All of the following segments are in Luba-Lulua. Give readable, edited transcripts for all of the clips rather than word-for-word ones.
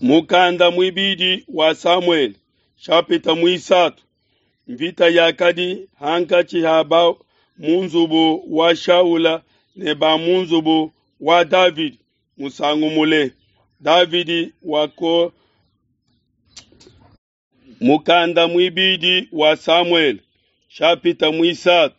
Mukanda muibidi wa Samuele, shapita muisatu. Mvita yakadi hankatshi ha ba mu nzubu wa Shaula ne ba mu nzubu wa Davidi musangu mule. Davidi wako Mukanda muibidi wa Samuele, shapita muisatu.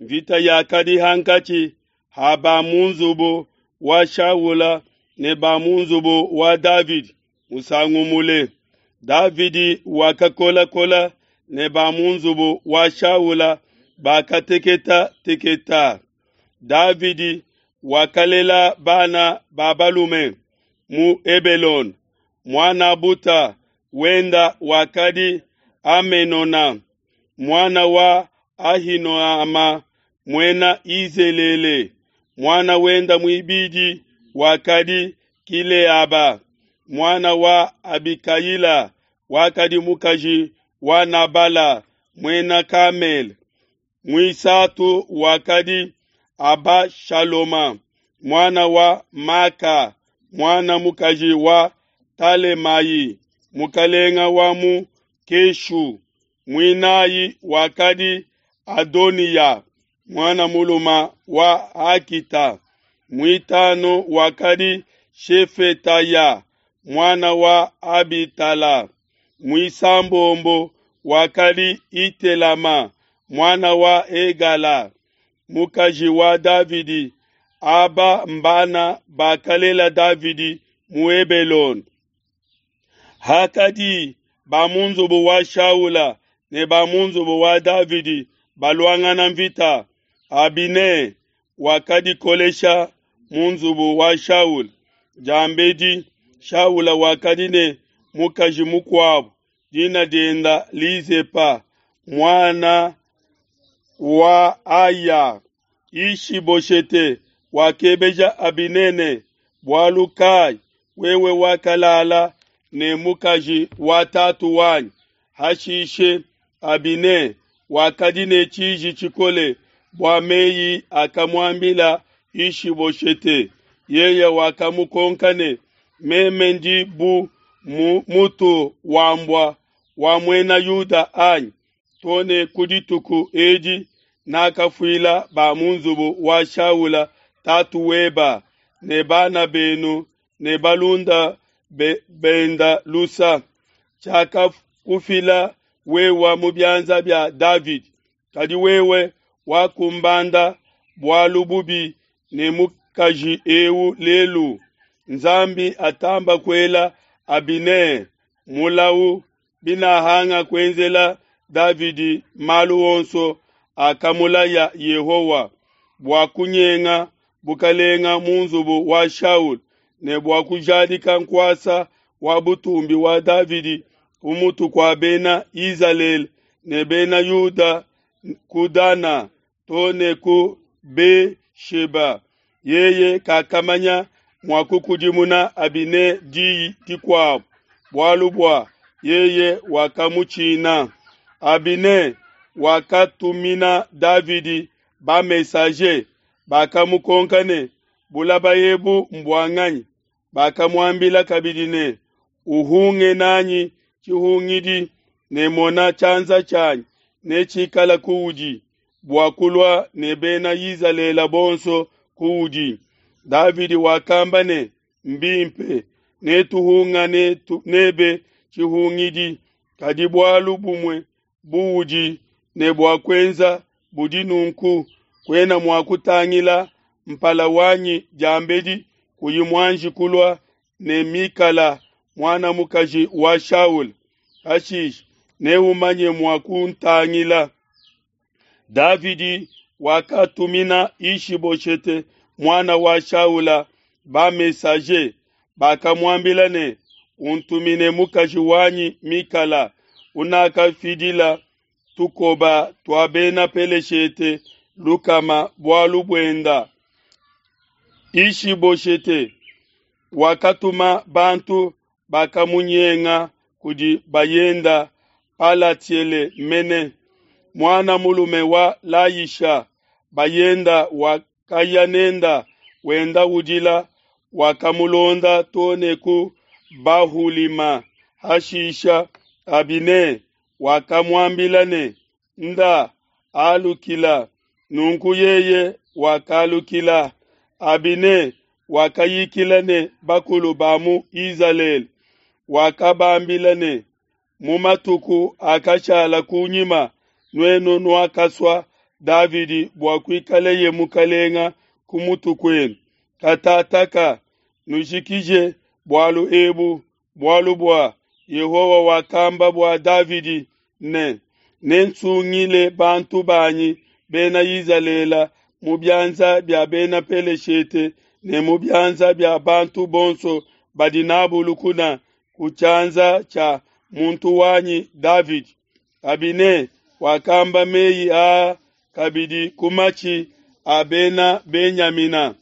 Mvita yakadi hankatshi ha ba mu nzubu wa Shaula ne ba mu nzubu wa Davidi musangu mule. Davidi wakakolakola ne ba mu nzubu wa Shaula bakateketa teketa. Davidi wakalela bana ba balume mu Hebelone. Muan'a buta wenda wakadi Amenona, muana wa Ahinoama muena Yizelele. Muana wenda muibidi wakadi Kileaba, muana wa Abikayila, wakadi mukaji wa Nabala muena Kamele. Muisatu wakadi Abashaloma, muana wa Maka, muana mukaji wa Talemayi, mukalenga wa mu Keshu. Muinayi wakadi Adoniya, muana muluma wa Akita. Muitanu wakadi Shefetaya, muana wa Abitala. Muisambombo wakadi Itelama, muana wa Egala, mukaji wa Davidi. Aba mbana bakalela Davidi mu Hebelone. Hakadi ba mu nzubu wa Shaula ne ba mu nzubu wa Davidi baluangana mvita, Abine wakadikolesha mu nzubu wa Shaula. Diambedi Shaula wakadi ne mukaji mukuabu, dina dienda Lizepa, muana wa Aya. Ishiboshete wakebeja Abine ne, bualu kai wewe wakalala ne mukaji wa tatu wanyi? Hashishe Abine wakadi ne tshiji tshikole bua meyi akamuambila Ishiboshete. Yeye wakamukonka ne, meme ndi bu mutu wa mbua wa muena Yuda anyi? Too ne ku dituku edi nakafuila ba mu nzubu wa Shaula tatu weba ne bana benu ne balunda benda lusa. Tshiakakufila wewa mu bianza bia Davidi, kadi wewe wakumbanda bualu bubi ne mukaji eu lelu. Nzambi atamba kuela Abine mulau binahanga kuenzela Davidi malu onso akamulaya Yehowa bua kunyenga bukalenga mu nzubu wa Shaul ne bua kujadika nkuasa wa butumbi wa Davidi ku mutu kua bena Izalele ne bena Yuda ku Dana too ne ku Be-sheba. Yeye kakamanya mua kukudimuna Abine diyi dikuabu, bualu bua yeye wakamutshina. Abine wakatumina Davidi ba-messager, bakamukonka ne, bulaba ebu mbua nganyi? Bakamuambila kabidi ne, uhunge nanyi tshihungidi ne mona tshianza tshianyi netshikala kuudi bua kulua ne bena Izalele bonso kuudi. Davidi wakamba ne, mbimpe, netuhungane nebe tshihungidi, kadi bualu bumue buudi ne bua kuenza budi nunku, kuena mua kutangila mpala wanyi diambedi kuyi muanji kulua ne Mikala muana mukaji wa Shaula. Pashishe neumanye mua kuntangila. Davidi wakatumina Ishiboshete muana wa Shaula ba-messager, bakamuambila ne, untumine mukaji wanyi Mikala unakafidila tukoba tua bena Peleshete lukama bualu buenda. Ishiboshete wakatuma bantu bakamunyenga kudi bayenda Palatiele mene, muana mulume wa Layisha. Bayenda wakaya nenda wenda udila, wakamulonda too ne ku Bahulima. Hashisha Abine wakamuambila ne, Nda, alukila. Nunku yeye wakalukila. Abine wakayikila ne bakulu ba mu Izalele, wakabambila ne, Mu matuku akashala kunyima nuenu nuakasua Davidi bua kuikaleye mukalenga ku mutu kuenu. Katataka nujikije bualu ebu, bualu bua Yehowa wakamba bua Davidi ne, Nensungile bantu banyi Bena Izalele mu bianza bia Bena Peleshete ne mu bianza bia bantu bonso badi nabu lukuna ku tshianza tshia muntu wanyi Davidi. Abine wakamba meyi aa kabidi ku matshi a Bena Benyamina.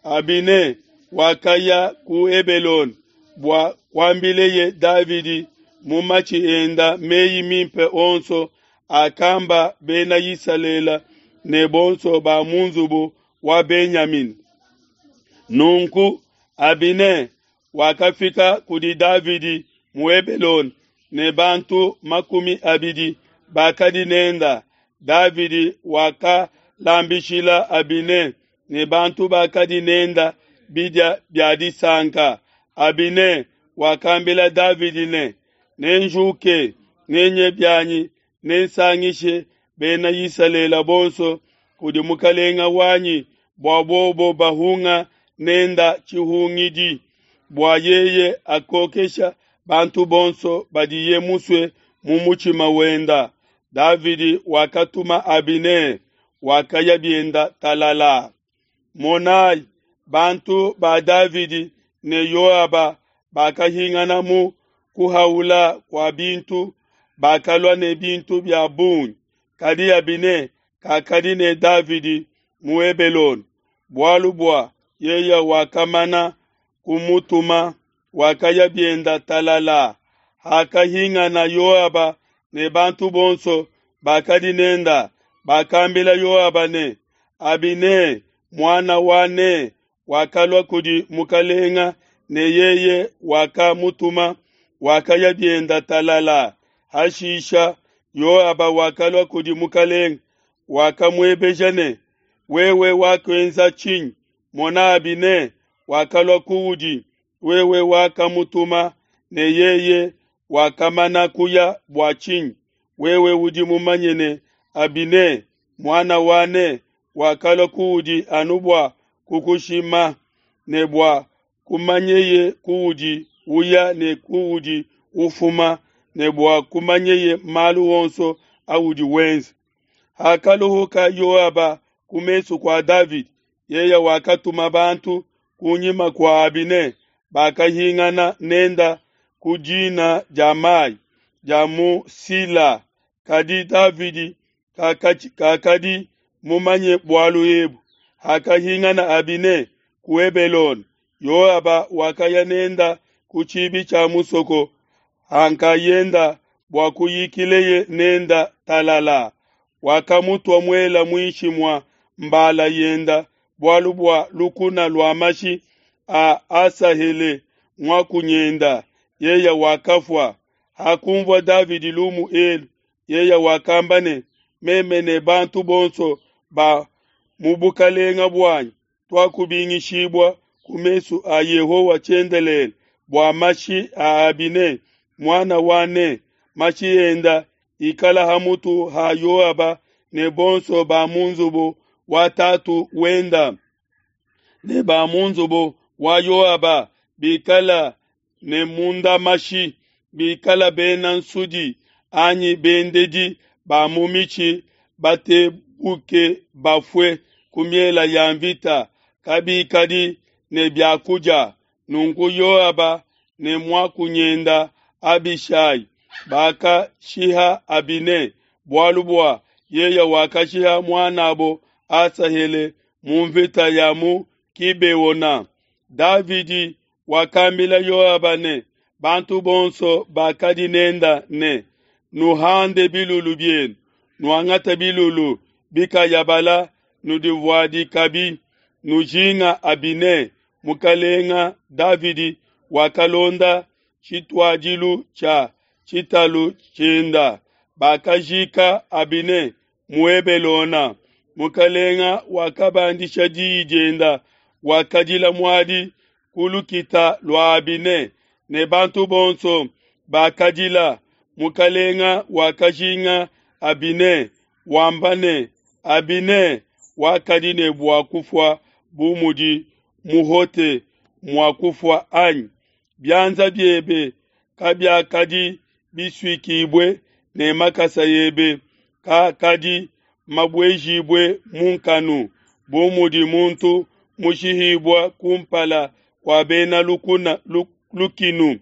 Abine wakaya ku Hebelone bua kuambileye Davidi mu matshi enda meyi mimpe onso akamba Bena Isalele ne bonso ba mu nzubu wa Benyamina. Nunku Abine wakafika kudi Davidi mu Hebelone ne bantu 20 bakadi nenda. Davidi wakalambishila Abine ne bantu bakadi nenda bidia bia disanka. Abine wakambila Davidi ne, Nenjuke, nenye bianyi, nensangishe Bena Isalele bonso kudi mukalenga wanyi bua bobo bahunga nenda tshihungidi, bua yeye akokesha bantu bonso badiye musue mu mutshima wenda. Davidi wakatuma Abine, wakaya bienda talala. Monai, bantu ba Davidi ne Yoaba bakahingana mu kuhaula kua bintu, bakalua ne bintu bia bungi. Kadi Abine kakadi ne Davidi mu Hebelone, bualu bua yeye wakamana kumutuma, wakaya bienda talala. Hakahingana Yoaba ne bantu bonso bakadi nenda, bakambila Yoaba ne, Abine muana wa Ne wakalua kudi mukalenga, ne yeye wakamutuma, wakaya bienda talala. Hashisha Yoaba wakalua kudi mukalenga, wakamuebeja ne, Wewe wakuenza tshinyi? Mona, Abine wakalua kuudi, wewe wakamutuma, ne yeye wakamana kuya bua tshinyi? Wewe udi mumanye ne, Abine muana wa Ne wakalua kuudi anu bua kukushima, ne bua kumanyeye kuudi uya ne kuudi ufuma, ne bua kumanyeye malu onso audi wenza. Hakaluhuka Yoaba ku mesu kua Davidi, yeye wakatuma bantu kunyima kua Abine, bakahingana nenda ku dina dia mai dia mu Sila. Kadi Davidi kakadi mumanye bualu ebu. Hakahingana Abine ku Hebelone, Yoaba wakaya nenda ku tshibi tshia musoko hankayenda bua kuyikileye nenda talala. Wakamutua muela muinshi mua mbala yenda bualu bua lukuna lua mashi a Asahele muakunyenda, yeye wakafua. Hakunvua Davidi lumu elu, yeye wakamba ne, Meme ne bantu bonso ba mu bukalenga buanyi tuakubingishibua ku mesu a Yehowa tshiendelele bua mashi a Abine muana wa Ne, mashi enda ikala ha mutu ha Yoaba ne bonso ba mu nzubu wa tatu wenda, ne ba mu nzubu wa Yoaba bikala ne munda mashi, bikala bena nsudi anyi bendedi ba mu mitshi, batebuke bafue ku miela ya mvita, kabikadi ne biakudia. Nunku Yoaba ne muakunyenda Abishai bakashiha Abine, bualu bua yeye wakashiha muanabo Asahele mu mvita ya mu Gibeona. Davidi wakambila Yoaba ne bantu bonso bakadi nenda ne, Nuhande bilulu bienu, nuangate bilulu bikayabala, nudivuadikabi, nujinga Abine. Mukalenga Davidi wakalonda tshituadilu tshia tshitalu tshienda. Bakajika Abine mu Hebelona. Mukalenga wakabandisha diyi dienda, wakadila muadi ku lukita lua Abine, ne bantu bonso bakadila. Mukalenga wakajinga Abine, wamba ne, Abine wakadi ne bua kufua bu mudi muhote mua kufua anyi? Bianza biebe kabiakadi bisuikibue ne makasa ebe kaakadi mabuejibue mu nkanu, bu mudi muntu mushihibua kumpala kua bena lukuna lukinu.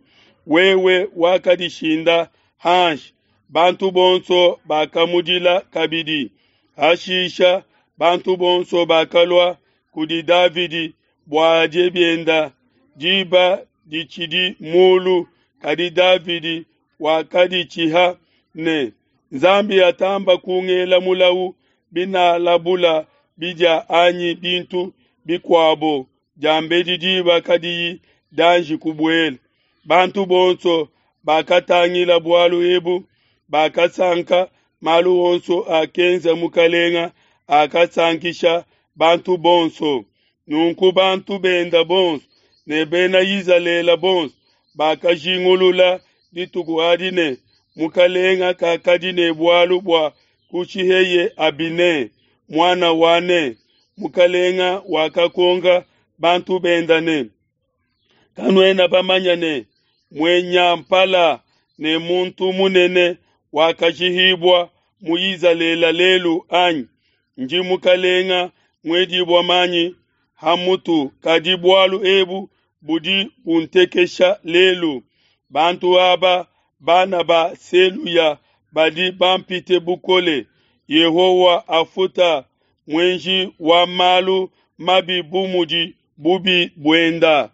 Wewe wakadishinda hanshi, bantu bonso bakamudila kabidi. Hashisha bantu bonso bakalua kudi Davidi bua adie bienda, diba ditshidi mulu, kadi Davidi wakaditshiha ne, Nzambi atamba kungela mulawu binalabula bidia anyi bintu bikuabo diambedi diba kadiyi dianji kubuela. Bantu bonso bakatangila bualu ebu, bakasanka. Malu onso akenza mukalenga akasankisha bantu bonso. Nunku bantu benda bonso ne bena Izalele bonso bakajingulula dituku adi ne, mukalenga kakadi ne bualu bua kushiheye Abine, muana wa Ne. Mukalenga wakakonka bantu benda ne, Kanuena bamanya ne, muenyampala ne muntu munene wakashihibua mu Izalele lelu, anyi? Ndi mukalenga muedibua manyi ha mutu, kadi bualu ebu budi buntekesha lelu. Bantu aba, bana ba Seluya, badi bampite bukole. Yehowa afuta muenji wa malu mabi bu mudi bubi buenda.